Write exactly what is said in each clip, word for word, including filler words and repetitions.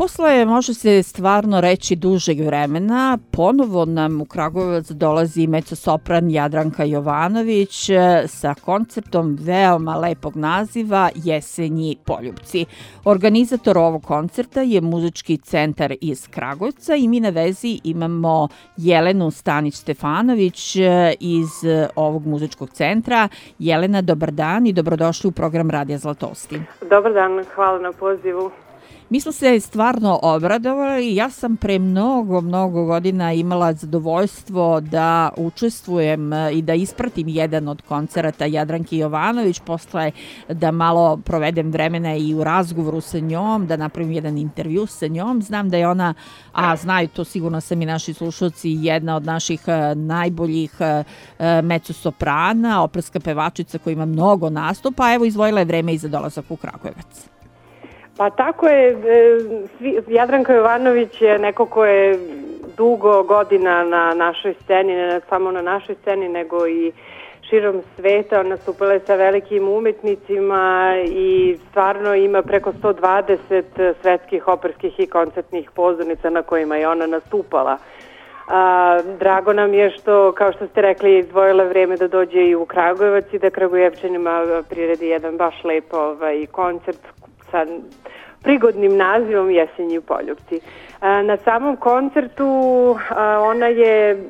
Posle, može se stvarno reći, dužeg vremena, ponovo nam u Kragujevac dolazi mecosopran Jadranka Jovanović sa koncertom veoma lepog naziva Jesenji poljupci. Organizator ovog koncerta je muzički centar iz Kragujevca i mi na vezi imamo Jelenu Stanić-Stefanović iz ovog muzičkog centra. Jelena, dobar dan i dobrodošli u program Radija Zlatosti. Dobar dan, hvala na pozivu. Mi smo se stvarno obradovali. Ja sam pre mnogo, mnogo godina imala zadovoljstvo da učestvujem i da ispratim jedan od koncerata Jadranke Jovanović, posle da malo provedem vremena i u razgovoru sa njom, da napravim jedan intervju sa njom. Znam da je ona, a znaju to sigurno sam i naši slušalci, jedna od naših najboljih mezzosoprana, operska pevačica koja ima mnogo nastupa. Evo, izdvojila je vreme i za dolazak u Kragujevac. Pa tako je, Jadranka Jovanović je neko ko je dugo godina na našoj sceni, ne samo na našoj sceni, nego i širom sveta. Nastupala je sa velikim umetnicima i stvarno ima preko sto dvadeset svetskih operskih i koncertnih pozornica na kojima je ona nastupala. A, drago nam je što, kao što ste rekli, je izdvojila vreme da dođe i u Kragujevac i da Kragujevčanima priredi jedan baš lep ovaj, koncert sa prigodnim nazivom Jesenji poljupci. Na samom koncertu ona je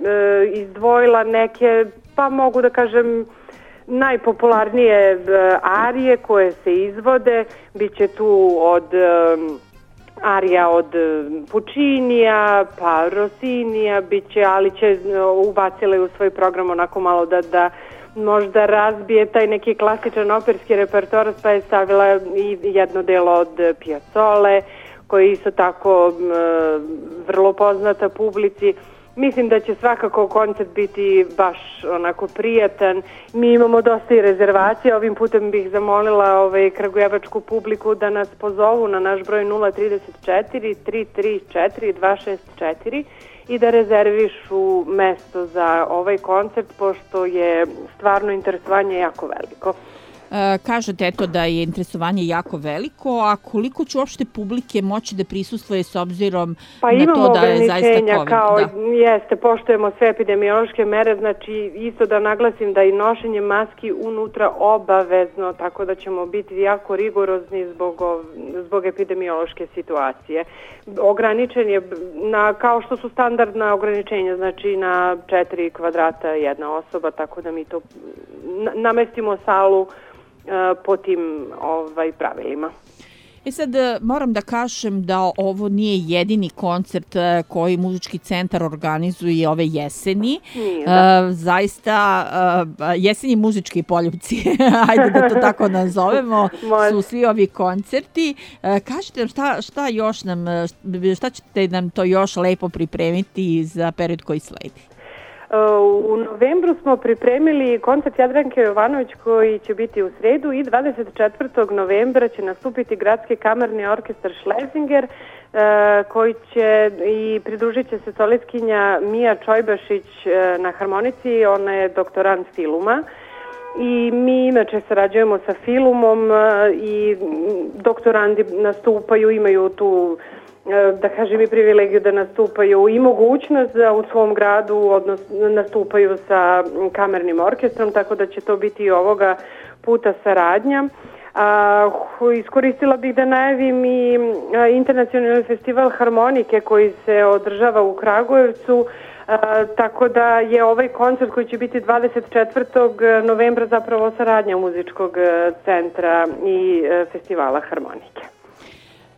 izdvojila neke, pa mogu da kažem, najpopularnije arije koje se izvode. Biće tu od arija od Puccinija, pa Rossinija, biće, ali će ubacile u svoj program onako malo da da možda razbije taj neki klasičan operski repertoar, pa je stavila i jedno delo od Piazzole, koji je isto tako vrlo poznata publici. Mislim da će svakako koncert biti baš onako prijatan. Mi imamo dosta i rezervacija. Ovim putem bih zamolila ovaj, kragujevačku publiku da nas pozovu na naš broj nula trideset četiri tri tri četiri dva šest četiri i da rezervišu mesto za ovaj koncert, pošto je stvarno interesovanje jako veliko. E, kažete eto da je interesovanje jako veliko, a koliko će uopšte publike moći da prisustvuje s obzirom pa na to da je zaista COVID? Kao, da. Jeste, poštujemo sve epidemiološke mere, znači isto da naglasim da i nošenje maski unutra obavezno, tako da ćemo biti jako rigorozni zbog, zbog epidemiološke situacije. Ograničen je, na, kao što su standardna ograničenja, znači na četiri kvadrata jedna osoba, tako da mi to namestimo salu po tim ovaj, pravilima. E sad, moram da kažem da ovo nije jedini koncert koji muzički centar organizuje ove jeseni. Nije, da. E, zaista, jesenji muzički poljupci, ajde da to tako nazovemo, su svi ovi koncerti. E, kažete šta, šta još nam, šta ćete nam to još lepo pripremiti za period koji sledi? U novembru smo pripremili koncert Jadranke Jovanović koji će biti u sredu i dvadeset četvrtog novembra će nastupiti Gradski kamerni orkestar Schlesinger koji će i pridružit će se solistkinja Mija Čojbašić na harmonici, ona je doktorant filuma. I mi inače sarađujemo sa filmom i doktorandi nastupaju, imaju tu da kažem i privilegiju da nastupaju i mogućnost da u svom gradu odnosno nastupaju sa kamernim orkestrom, tako da će to biti i ovoga puta saradnja. A, iskoristila bih da najavim i internacionalni festival harmonike koji se održava u Kragujevcu, a, tako da je ovaj koncert koji će biti dvadeset četvrtog novembra zapravo saradnja muzičkog centra i festivala harmonike.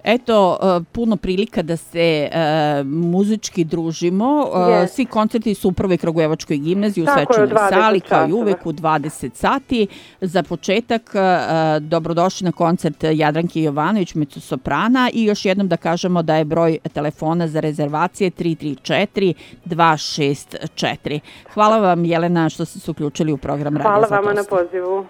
Eto, puno prilika da se uh, muzički družimo. Yes. Svi koncerti su u prvoj Kragujevačkoj gimnaziji u svečanoj sali, kao i uvek u dvadeset sati. Za početak, uh, dobrodošli na koncert Jadranke Jovanović, mezzosoprana, i još jednom da kažemo da je broj telefona za rezervacije tri tri četiri dva šest četiri. Hvala vam, Jelena, što ste se uključili u program Radija Zlatosti. Hvala vama na pozivu.